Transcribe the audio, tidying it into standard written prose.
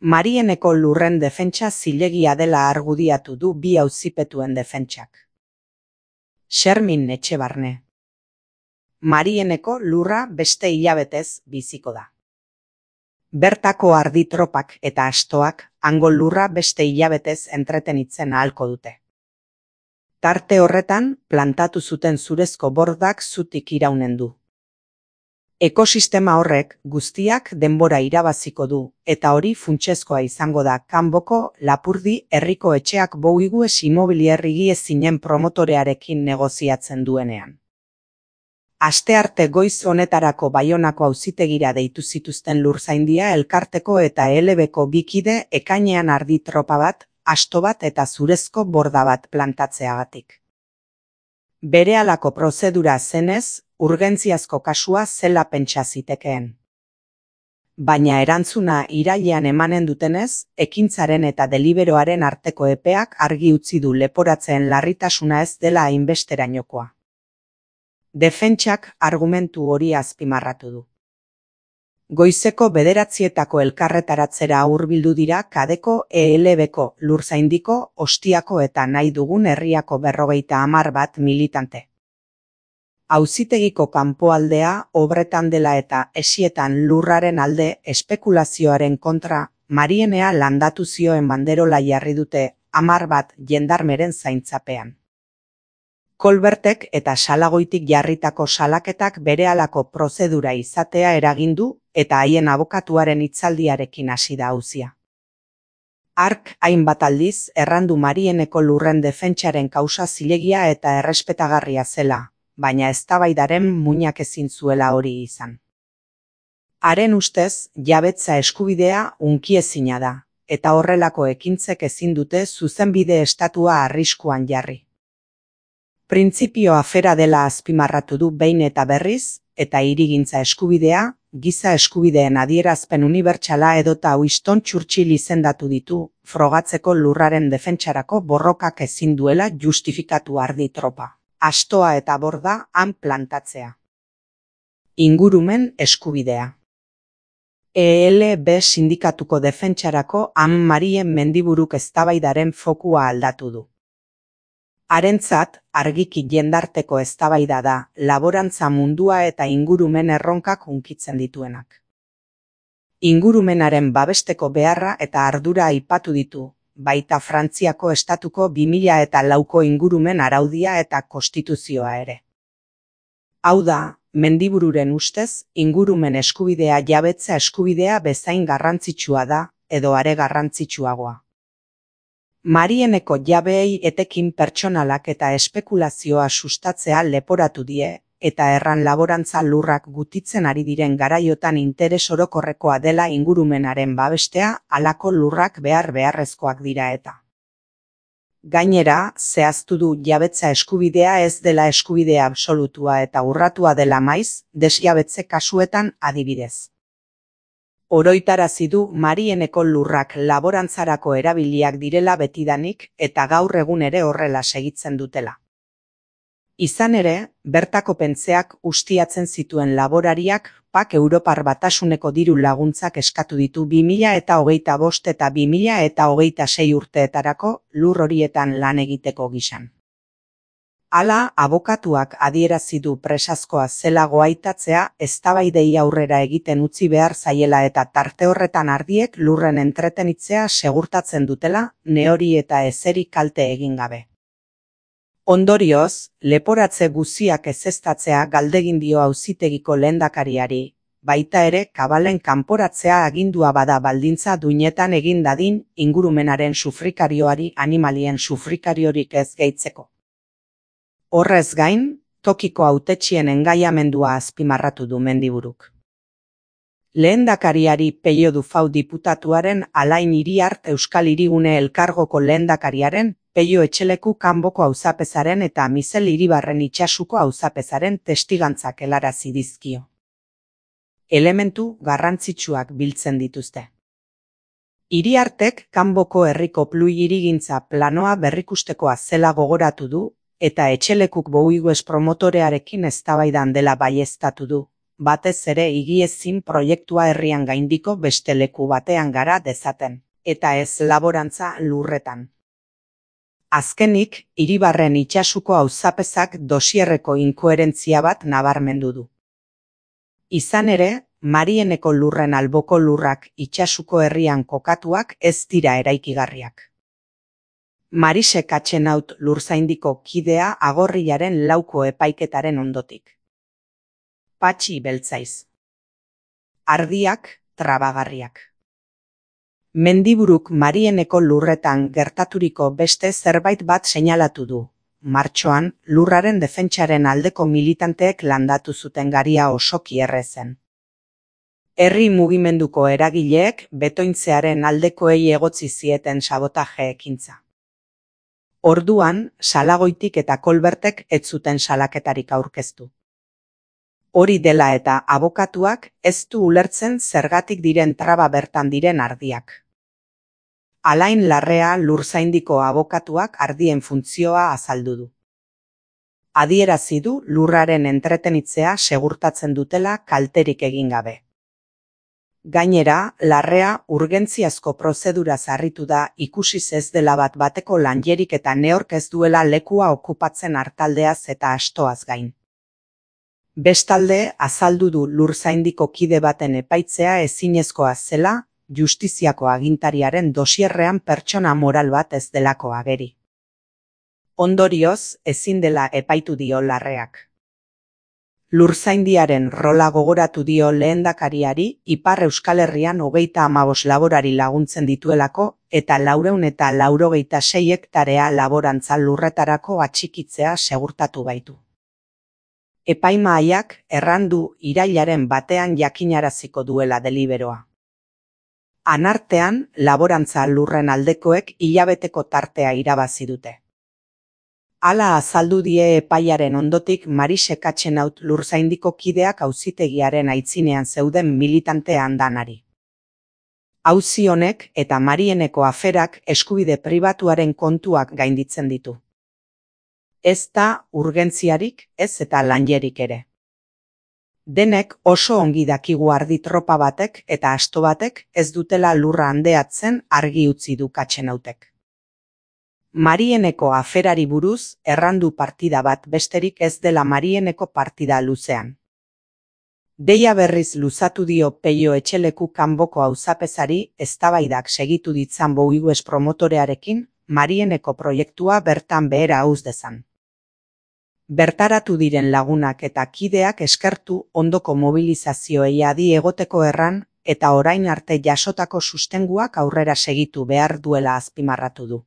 Marieneko lurren defentsa zilegia dela argudiatu du bi auzipetuen defentsak. Xermin Etxebarne. Marieneko lurra beste hilabetez biziko da. Bertako ardi tropak eta astoak hango lurra beste hilabetez entretenitzen ahalko dute. Tarte horretan plantatu zuten zurezko bordak zutik iraunen du. Ekosistema horrek guztiak denbora irabaziko du, eta hori funtsezkoa izango da kanboko Lapurdi herriko etxeak Bouygues Immobilier higiezinen promotorearekin negoziatzen duenean. Astearte goiz honetarako Baionako auzitegira deitu zituzten Lurzaindia elkarteko eta ELB-ko bi kide ekainean ardi tropa bat, asto bat eta zurezko borda bat plantatzeagatik. Berehalako prozedura zenez, urgentziazko kasua zela pentsa zitekeen. Baina erantzuna irailean emanen dutenez, ekintzaren eta deliberoaren arteko epeak argi utzi du leporatzeen larritasuna ez dela hainbesterainokoa. Defentsak argumentu hori azpimarratu du. Goizeko 9:00 elkarretaratzera hurbildu dira Kadeko ELB-ko, Lurzaindiko, Ostiako eta nahi dugun herriako 51 militante. Auzitegiko kanpoaldea obretan dela eta esietan lurraren alde espekulazioaren kontra Marienea landatu zioen banderola jarri dute 10 jendarmeren zaintzapean. Kolbertek eta Salagoitik jarritako salaketak berehalako prozedura izatea eragindu eta haien abokatuaren hitzaldiarekin hasi da auzia. Hark hainbat aldiz errandu Marieneko lurren defentsaren kausa zilegia eta errespetagarria zela, baina eztabaidaren muinak ezin zuela hori izan. Haren ustez, jabetza eskubidea hunkiezina da, eta horrelako ekintzek ezin dute zuzenbide estatua arriskuan jarri. Printzipio afera dela azpimarratu du behin eta berriz, eta hirigintza eskubidea, giza eskubideen adierazpen unibertsala edota Winston Churchill izendatu ditu, frogatzeko lurraren defentsarako borrokak ezin duela justifikatu ardi tropa, astoa eta borda han plantatzea. Ingurumen eskubidea. ELB sindikatuko defentsarako han Marien Mendiburuk eztabaidaren fokua aldatu du. Harentzat, argiki jendarteko eztabaida da, laborantza mundua eta ingurumen erronkak hunkitzen dituenak. Ingurumenaren babesteko beharra eta ardura aipatu ditu, baita Frantziako estatuko 2004ko ingurumen araudia eta konstituzioa ere. Hau da, Mendibururen ustez, ingurumen eskubidea jabetza eskubidea bezain garrantzitsua da, edo are garrantzitsuagoa. Marieneko jabeei etekin pertsonalak eta espekulazioa sustatzea leporatu die, eta erran laborantza lurrak gutitzen ari diren garaiotan interes orokorrekoa dela ingurumenaren babestea, halako lurrak beharrezkoak dira eta. Gainera, zehaztu du jabetza eskubidea ez dela eskubidea absolutua eta urratua dela maiz, desjabetze kasuetan adibidez. Oroitarazi du Marieneko lurrak laborantzarako erabiliak direla betidanik eta gaur egun ere horrela segitzen dutela. Izan ere, bertako pentzeak ustiatzen zituen laborariak PAK Europar Batasuneko diru laguntzak eskatu ditu 2025 eta 2026 urteetarako lur horietan lan egiteko gisan. Hala, abokatuak adierazi du presazkoa zela goaitatzea eztabaidei aurrera egiten utzi behar zaiela eta tarte horretan ardiek lurren entretenitzea segurtatzen dutela, nehori eta ezeri kalte egin gabe. Ondorioz, leporatze guziak ezeztatzea galdegin dio auzitegiko lehendakariari, baita ere kabalen kanporatzea agindua bada baldintza duinetan egin dadin ingurumenaren sufrikarioari animalien sufrikariorik ez gehitzeko. Horrez gain, tokiko hautetxien engaiamendua azpimarratu du Mendiburuk. Lehendakariari Pello Dufau diputatuaren Alain Iriart Euskal Hirigune Elkargoko lehendakariaren Pello Etxeleku kanboko auzapezaren eta Mizel Iribarren itsasuko auzapezaren testigantzak helarazi dizkio. Elementu garrantzitsuak biltzen dituzte. Iriartek kanboko herriko plui hirigintza planoa berrikustekoa zela gogoratu du, eta Etxelekuk Bouygues promotorearekin eztabaidan dela baieztatu du, batez ere higiezin proiektua herrian gaindiko beste leku batean gara dezaten, eta ez laborantza lurretan. Azkenik, Iribarren itsasuko auzapezak dosierreko inkoherentzia bat nabarmendu du. Izan ere, Marieneko lurren alboko lurrak itsasuko herrian kokatuak ez dira eraikigarriak. Marise Katxenaut Lurzaindiko kidea Agorrilaren 4ko epaiketaren ondotik. Patxi beltzaiz. Ardiak, trabagarriak. Mendiburuk Marieneko lurretan gertaturiko beste zerbait bat seinalatu du. Martxoan, lurraren defentsaren aldeko militanteek landatu zuten garia osoki errezen. Herri mugimenduko eragileek betointzearen aldekoei egotzi zieten sabotaje ekintza. Orduan, Salagoitik eta Kolbertek ez zuten salaketarik aurkeztu. Hori dela eta abokatuak ez du ulertzen zergatik diren traba bertan diren ardiak. Alain Larrea Lurzaindiko abokatuak ardien funtzioa azaldu du. Adierazi du lurraren entretenitzea segurtatzen dutela kalterik egin gabe. Gainera, Larrea urgentziazko prozedura zarritu da ikusiz ez dela bat bateko lanjerik eta neork ez duela lekua okupatzen artaldeaz eta astoaz gain. Bestalde, azaldu du Lurzaindiko kide baten epaitzea ezinezkoa zela, justiziako agintariaren dosierrean pertsona moral bat ez delako ageri. Ondorioz, ezin dela epaitu dio Larreak. Lurzaindiaren rola gogoratu dio lehendakariari Ipar Euskal Herrian 35 laborari laguntzen dituelako eta 486 hektarea laborantza lurretarako atxikitzea segurtatu baitu. Epaimahaiak errandu irailaren batean jakinaraziko duela deliberoa. Anartean, laborantza lurren aldekoek hilabeteko tartea irabazi dute. Hala azaldu die epaiaren ondotik Marise Katxenaut Lurzaindiko kideak auzitegiaren aitzinean zeuden militante andanari. Auzi honek eta Marieneko aferak eskubide pribatuaren kontuak gainditzen ditu. Ez da urgentziarik, ez eta lanjerik ere. Denek oso ongi dakigu ardi tropa batek eta asto batek ez dutela lurra handeatzen argi utzi du Katxenautek. Marieneko aferari buruz errandu partida bat besterik ez dela Marieneko partida luzean. Deia berriz luzatu dio Peio Etxeleku kanboko auzapezari eztabaidak segitu ditzan Bouygues promotorearekin Marieneko proiektua bertan behera uz dezan. Bertaratu diren lagunak eta kideak eskertu ondoko mobilizazioei adi egoteko erran eta orain arte jasotako sustenguak aurrera segitu behar duela azpimarratu du.